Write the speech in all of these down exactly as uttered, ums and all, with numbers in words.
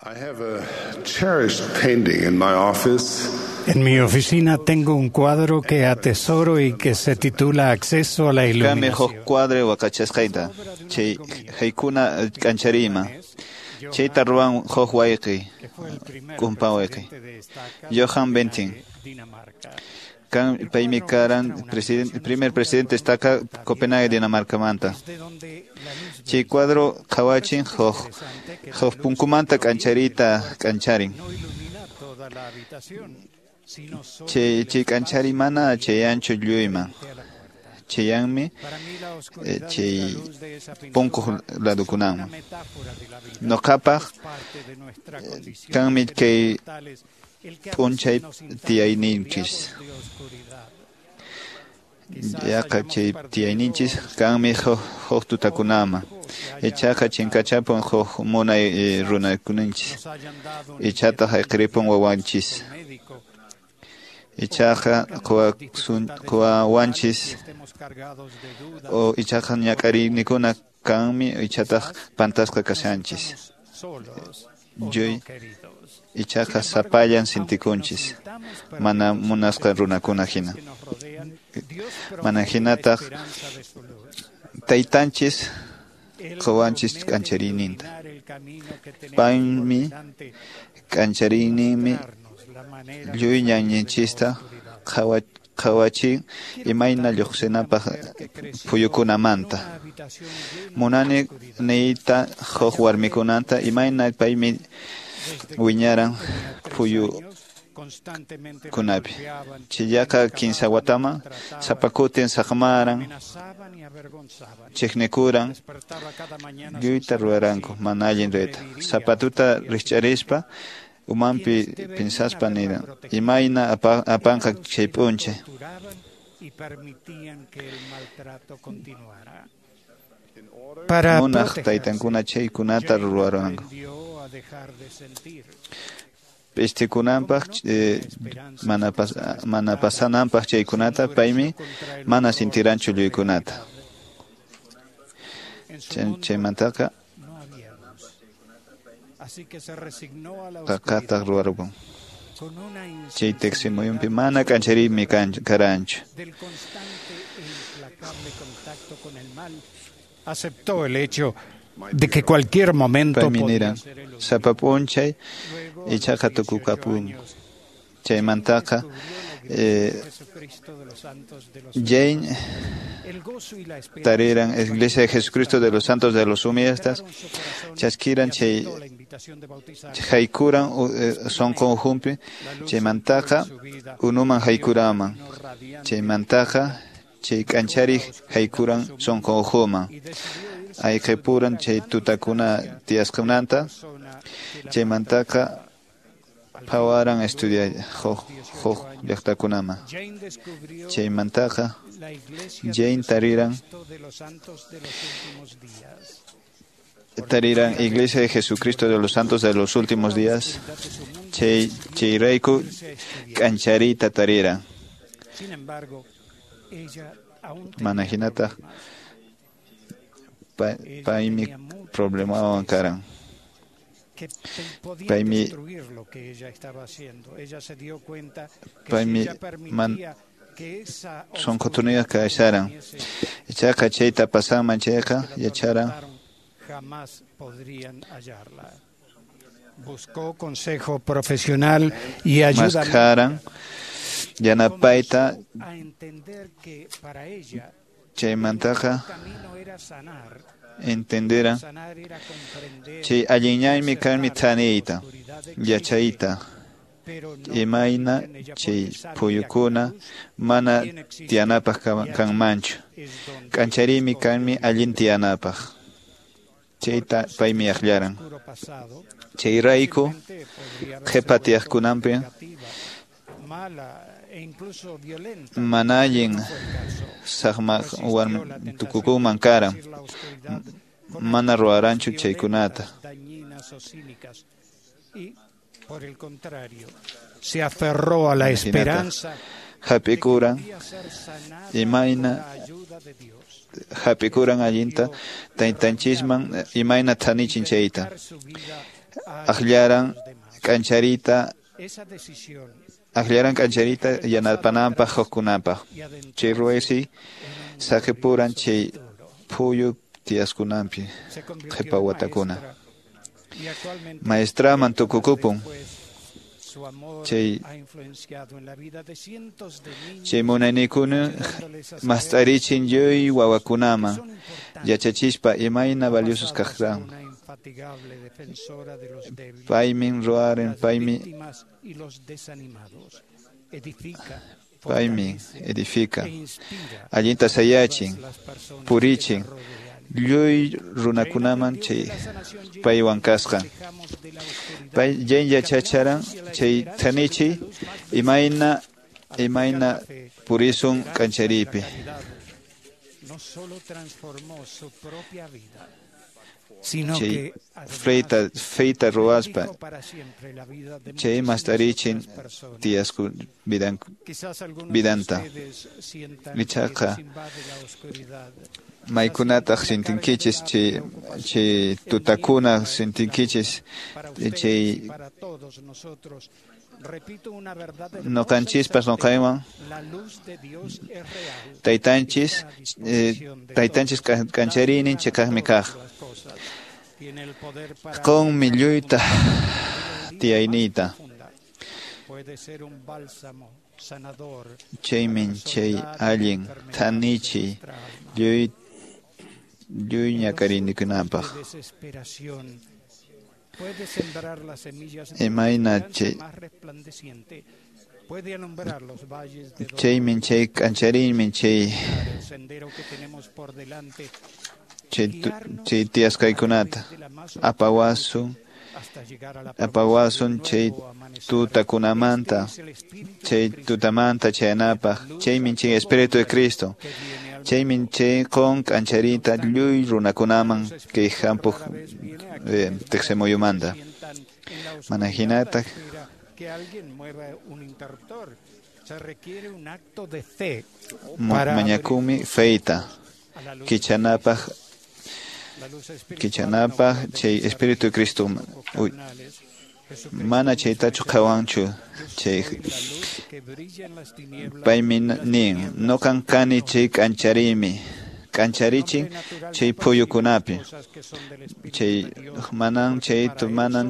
I have a cherished painting in my office. En mi oficina tengo un cuadro que atesoro y que se titula Acceso a la Kami Iluminación. huk cuadro waqachasqayta chay haykuna k'anchariyman chayta ruwan huk wayqi que fue el primer kumpa wayqi presidente de estaca Johan de Bentin Dinamarca. kan paymi karan presidente, primer presidente estaca Copenhague Dinamarcamanta Desde donde la luz chay cuadro qhawachin huk interesante que la huk luz punkumanta k'anchariyta k'ancharin no ilumina toda la habitación, sino solo chay el chay k'anchari mana chayanchu lluyman frente a la puerta. chayanmi Para mí la eh, oscuridad y chay la luz de esa pintura punkuq es una ladukunaman metáfora de la vida. Noqapaq Es parte de nuestra condición kanmi de seres kay mortales, el que a veces p'unchay nos sintamos tiyayninchis rodeados de oscuridad. Quizás yaqa hayamos chay perdido tiyayninchis a kanmi huk huk tutakunaman o se haya ichaqa chinkachapun huk munay eh, runakuninchis nos hayan dado un ichataq ayqiripun wawanchis un médico ichaqa quwasun quwawanchis y estemos cargados de dudas, o ichaqa ñak'ariynikuna kanmi ichataq pantasqa kashanchis estamos solos o Lluy no queridos. ichaqa sapallan sintikunchis mana munasqa runakuna hina Que nos rodean, Dios mana promete la hinataq esperanza de su luz. taytanchis Él quwanchis promete k'anchariyninta iluminar el camino que tenemos por paymi delante, k'anchariyninmi mostrarnos la manera de lluy salir de la ñanninchista oscuridad. qhawa qhawachin imayna lluqsinapaq phuyukunamanta Una habitación llena de munani oscuridad. niyta huk warmikunanta imayna paymi Desde que wiñaran tenía tres phuyu años, constantemente la kunapi golpeaban, chillaqa la kinsa acababan, wataman maltrataban, sapa kutin saqmaran amenazaban y avergonzaban. chiqnikuran Despertaba cada mañana sin lluyta saber ruwaranku si mana allin ruyta sobreviviría sapa tuta al día rikch'arispa umanpi Quienes pinsaspa deberían niran haberla protegido imayna apa- apanqa eran los chay que la p'unchay torturaban y permitían que el maltrato continuara. Para munaq protegerse, taytankuna chaykunata Jane ruwaranku aprendió a dejar de sentir. p'istikunanpaq eh, mana pas- mana pasananpaq chaykunata paymi mana sintiranchu lluykunata En su Chay- mundo chaymantaqa no había luz. Así que se resignó a la qaqataq oscuridad ruwarupun con una chay teqsimuyunpi insensibilidad mana k'anchariymi kan- karanchu del constante e implacable contacto con el mal. Aceptó el hecho de que cualquier momento paymi podía niran ser el último. sapa p'unchay Luego, a los ichaqa dieciocho tukukapun años, chaymantaqa descubrió la iglesia eh, de Jesucristo de los Santos de los Jane Últimos. El gozo y la esperanza tariran del Iglesia de Jesucristo de los Santos de los Humildes entraron su corazón chaskiran y chay aceptó la invitación de bautizarse. haykuran u- eh, sunqunjunpi La luz chaymantaqa entró en su vida, unuman haykuraman dio un camino radiante chaymantaqa chay k'anchariq haykuran sunqunjuman y decidió irse a ayqipuran estudiar chay a gran tutakuna distancia tiyasqananta zona que la chaymantaqa maltrataba. Al fin, phawaran estudiay luego, a huk los dieciocho huk años, llaqtakunaman Jane descubrió chaymantaqa la iglesia de Jane tariran Jesucristo de los Santos de los Últimos Días. tariran Iglesia de Jesucristo de los Santos de los Últimos La Días oscuridad de su mundo chay decidió chayrayku irse a estudiar. k'anchariyta tariran Sin embargo, ella aún tenía mana hinataq problemas. pa- Ella paymi tenía mucha problemawan tristeza karan que te- podían paymi destruir lo que ella estaba haciendo. Ella se dio cuenta que si paymi ella man permitía que esa oscuridad sunqutuniyaq kasharan viniese, ichaqa chayta pasanman chayqa que la yacharan atormentaron, jamás podrían hallarla. Buscó consejo profesional y ayuda maskharan médica. yanapayta Comenzó a entender que para ella el chaymantaqa mejor camino era sanar. entenderan Sanar era comprender chay allinñaymi kanmi aceptar que la thaniyta oscuridad existe, yachayta pero no imayna vivir en ella chay porque sabía que la phuyukuna luz mana también existe tiyanapaq y ka- allí kanmanchu es donde k'anchariymi esconde kanmi Dios. allin tiyanapaq chayta Por conocer paymi su aqllaran oscuro pasado, chayrayku fácilmente podría haberse qhipa vuelto tiyaqkunanpi negativa, mala e incluso violenta, mana pero allin no fue el caso. saqma Resistió warmi la tentación de tukukunman karan producir la oscuridad con mana actitudes ruwaranchu chaykunata violentas, dañinas o cínicas. Y, por el contrario, se aferró a la mana hinataq esperanza de que hap'ikuran podía ser sanada imayna con la ayuda de Dios. hap'ikuran allinta taytanchisman imayna thanichin chayta Dedicar su vida Akllaran k'anchariyta Akllaran k'anchariyta yanapananpaq hukkunapaq. Chay ruwaysi saqipuran chay phuyu tiyasqanpi qhipa watakuna. Maestraman tukukupun. Chay chay munayniykuna mast'arichin lluy wawakunaman yachachispa imayna valiosos kaqran. Paymin ruwarin, paymi paymi edifica, allinta sayachin, purichin lluy runakunaman chay paywan kasqa. Pay Jane yachacharan chay thanichi imayna imayna purisun k'anchariypi. Chay freyta feyta ruwaspa chay mast'arichin tiyasku vidan vidanta. Ichaqa maykunataq sintinkichis chay chay tutakuna sintinkichis chay noqanchispas noqaywan taytanchis eh, taytanchis k'anchariynin chiqaqmi kaq. Qunmi lluyta tiyayniyta. Chaymin chay allin thanichiy lluy lluy ñak'ariyninkunapaq. Imayna chay chaymin chay k'anchariymin chay chay chay tiyasqaykunata apawasun apawasun chay tutakunamanta chay tutamanta chayanapaq. Chaymin chay Espíritu de Cristo chaymin chay qun k'anchariyta lluy runakunaman kay hampuq eh, tiqsimuyumanta. Mana hinataq mañakumi feyta kichanapaq kichanapaq chay Espíritu de Cristo. Uy, mana chaytachu qhawanchu chay paymi nin noqan kani chay k'anchariymi k'ancharichin chay phuyukunapi chay manan chay manan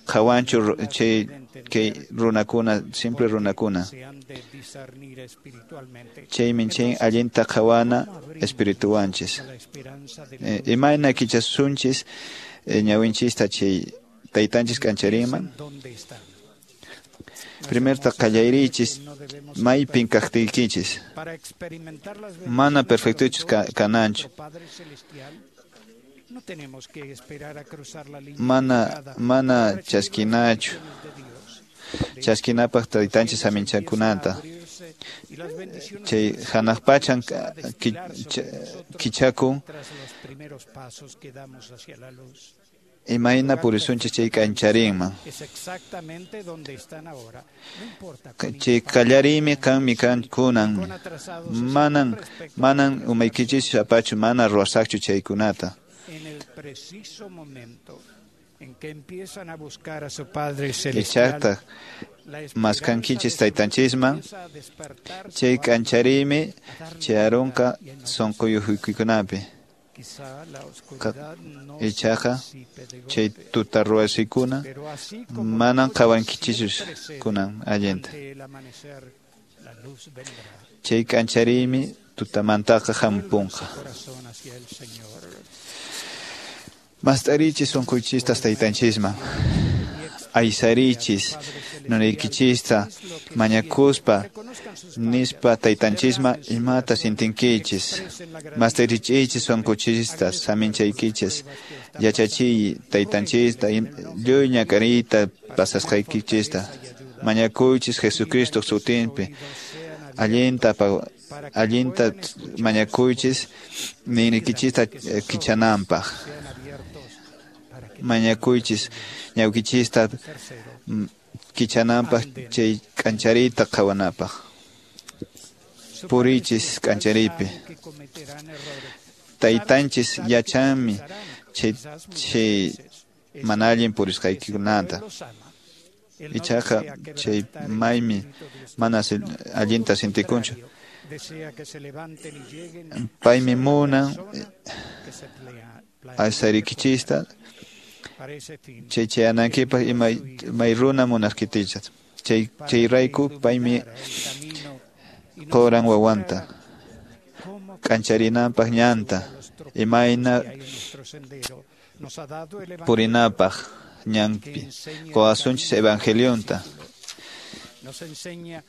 qhawanchu chay kay runakuna simple runakuna. Chaymin chay allinta qhawana espirituwanchis. Eh, imayna kichasunchis eh, ñawinchista chay taytanchis k'ancharinman. Primerta qallariychis maypin kaqtiykichis. Mana perfectochus kananchu. Mana mana chaskinachu. Chaskinapaq taytanchis saminchakunata. Chay hanaq pachan kichakun imayna purisunchis chay k'ancharinman. Chay qallariymi kanmi kan kunan. Manan manan umaykichis apachu mana ruwasaqchu chaykunata. Ichaqtaq maskankichis taytanchisman chay k'anchariymi chayarunqa sunquyukuykunapi. Ichaqa chay tuta ruwasikuna manan qhawankichischu kunan allinta. Chay k'anchariymi tutamantaqa hampunqa. Mast'arichis sunqunchistas taytanchisman. Aysarichis nunaykichista mañakuspa nispa taytanchisman imata sintinkichis. Mast'arichiychis sunqunchistas saminchaykichis. Yachachiy taytanchista lluy ñak'ariyta pasasqaykichista. Mañakuychis Jesucristo sutinpi. Allinta allinta mañakuychis ninrikichista kichananpaq. Mañakuychis ñawkichista kichananpaq chay k'anchariyta qhawanapaq. Purichis k'anchariypi. Taytanchis yachanmi chay chay mana allin purisqaykikunata. Ichaqa chay maymi mana allinta sintikunchu. Paymi munan aysarikichista chay chayanankipaq imay may runa munasqitichas. Chay chayrayku paymi qoran wawanta k'ancharinanpaq ñanta imayna purinapaq ñanpi qowasunchis evangelionta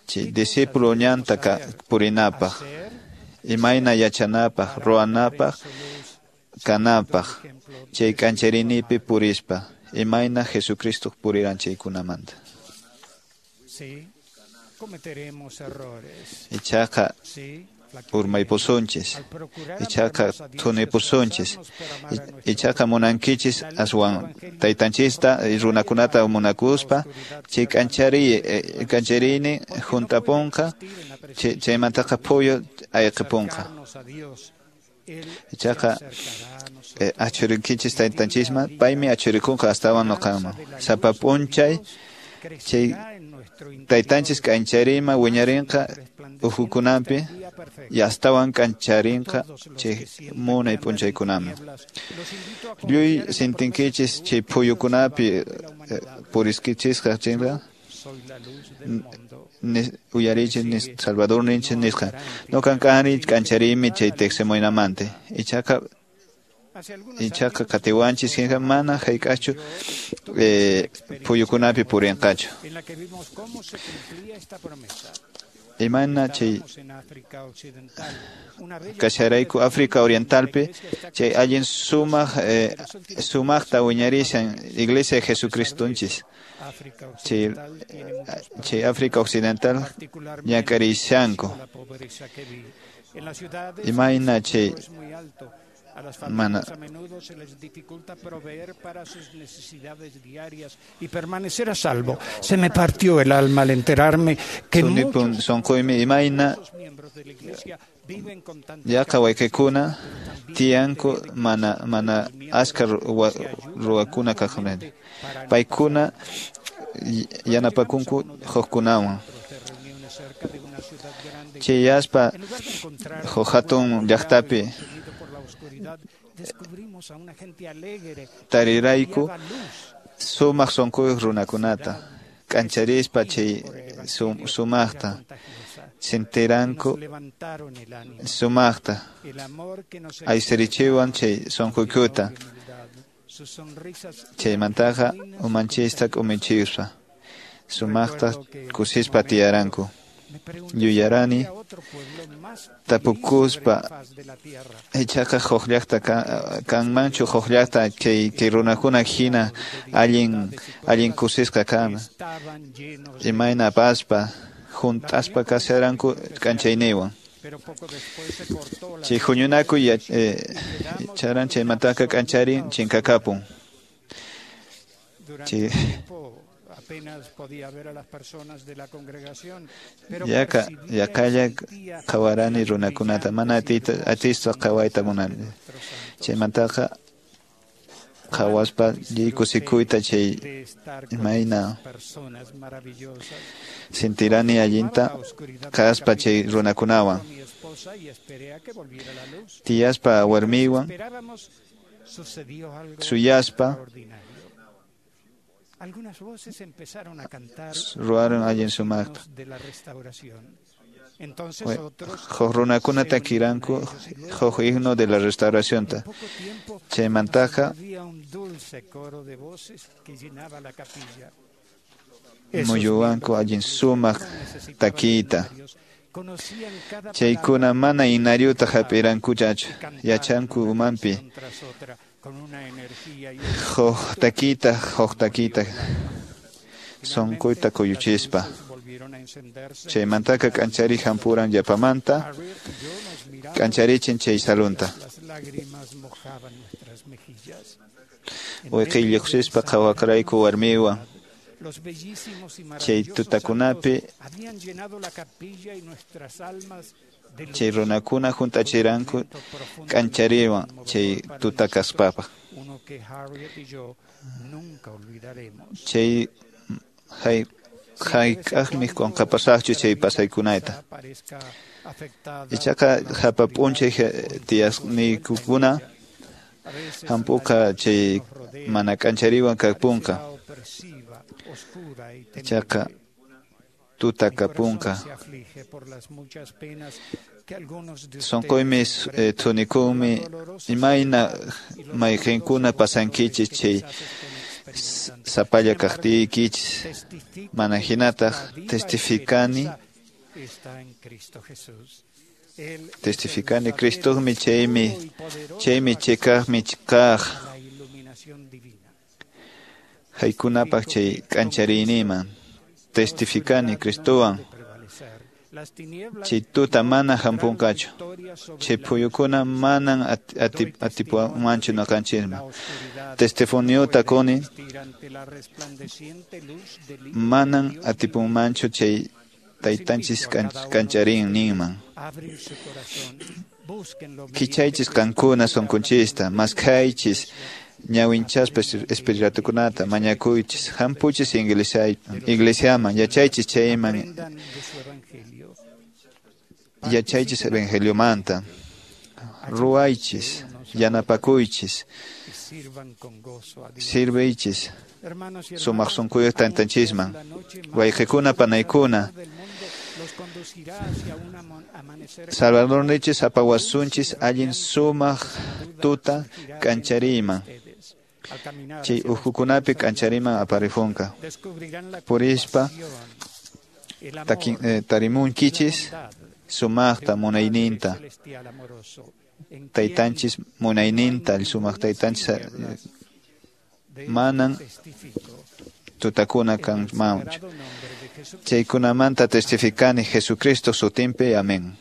chay discípulo ñanta purinapaq imayna yachanapaq ruwanapaq kanapaq chay k'ancharinipi purispa imayna Jesucristo puriran chaykunamanta. Ichaqa urmaypusunchis, ichaqa thunipusunchis, ichaqa munankichis aswan taytanchista runakunata munakuspa chay k'anchari k'ancharini juntapunqa chaymantaqa phuyu ayqipunqa. Ichaqa achurikichis taytanchisman paymi achurikunqa astawan nuqaman sapa p'unchay chay taytanchis k'ancharima wiñarinqa uhukunampi y astawan k'ancharinqa chay munay p'unchaykunaman. Lluy sintinkichis chay phuyukunapi puriskichisqa chinqa uyarichis nis Salvador ninchis nisqa nuqan kani k'ancharimi chay tiqsimuynamanta. Ichaqa ichaqa qatiwanchis hina mana hayk'aqchu eh, phuyukunapi purinqachu. Imayna chay kasharayku África Orientalpi chay allin sumaq eh, sumaqta wiñarishan Iglesia de Jesucristonchis chay chay África Occidental ñak'arishanku. Imayna chay A las mana familias a menudo se les dificulta proveer para sus necesidades diarias y permanecer a salvo. Se me partió el alma al enterarme que sunipun muchos sunquymi imayna miembros de la Iglesia viven con tanta yaqa waykikuna tiyanku mana mana achka ruwakuna kaqkunata. Paykuna yanapakunku hukkunawan. Chayaspa huk hatun llaqtapi tarirayku sumaq sunquyuq runakunata k'ancharispa chay sumaqta sintiranku sumaqta aysarichiwan chay sunquykuta chaymantaqa umanchista k'umichiyuspa sumaqta kusispa tiyaranku. Yuyarani tapukuspa ichaqa huk llaqta kanmanchu huk llaqta kay kay runakuna hina allin allin kusisqa kana imayna apaspa junt'aspa kasharanku k'anchayniwan. Chay huñunakuy charan chaymantaqa k'ancharin chinkakapun. Chay Yaqa yaqalla qhawarani runakunata mana atiyta atispa qhawayta munani. Chaymantaqa qhawaspa lliw kusikuyta chay imayna sintirani allinta kaspa chay runakunawan. Tiyaspa warmiywan suyaspa ruwaron allin sumaqta. Huk runakuna takiranku huk himno de la restauracionta. Chaymantaqa muyuwanku allin sumaq takiyta. Chaykuna mana inaryuta hap'irankuchachu yachanku umanpi. Huk takiyta, huk takiyta sunquyta kuyuchispa. Chaymantaqa k'anchari hampuran yapamanta k'ancharichin chay salunta. Wayqiy lluqsispa qhawaqrayku warmiwan. Chay tutakunapi chay runakuna hunt'achiranku k'anchariwan chay tuta kaspapaq. Chay hay hayk'aqmi qunqapasaqchu chay pasaykunayta. Ichaqa hapa p'unchay tiyasniykukuna hampuqa chay mana k'anchariwan kapunqa. Ichaqa tuta kapunqa. Sunquymi thunikunmi imayna mayqinkuna pasankichis chay sapalla kaqtiykichis. Mana hinataq testificani testificani Cristomi chaymi chaymi chikaqmi kaq haykunapaq chay k'anchariyniman. Testificani Cristowan chay tuta mana hampunqachu. Chay phuyukuna manan atipuwanmanchu ñuqanchisman. Testimoniota quni manan atipunmanchu chay taytanchis k'ancharinninman. Kichaychis qankuna sunqunchista, maskhaychis ñawinchaspa espiritukunata, mañakuychis, hampuchis iglesiaman, yachaychis chayman, yachaychis evangeliomanta, ruwaychis, yanapakuychis, sirviychis sumaq sunquyuq taytanchisman. Wayqikuna panaykuna, Salvadorninchis apawasunchis allin sumaq tuta k'anchariyman. Chay ukhukunapi k'anchariman aparifunqa. Purispa tarimunkichis sumaqta munayninta. Taytanchis munayninta, sumaq taytanchis manan tutakuna kanmanchu. Chaykunamanta testificani Jesucristo sutinpi. Amén.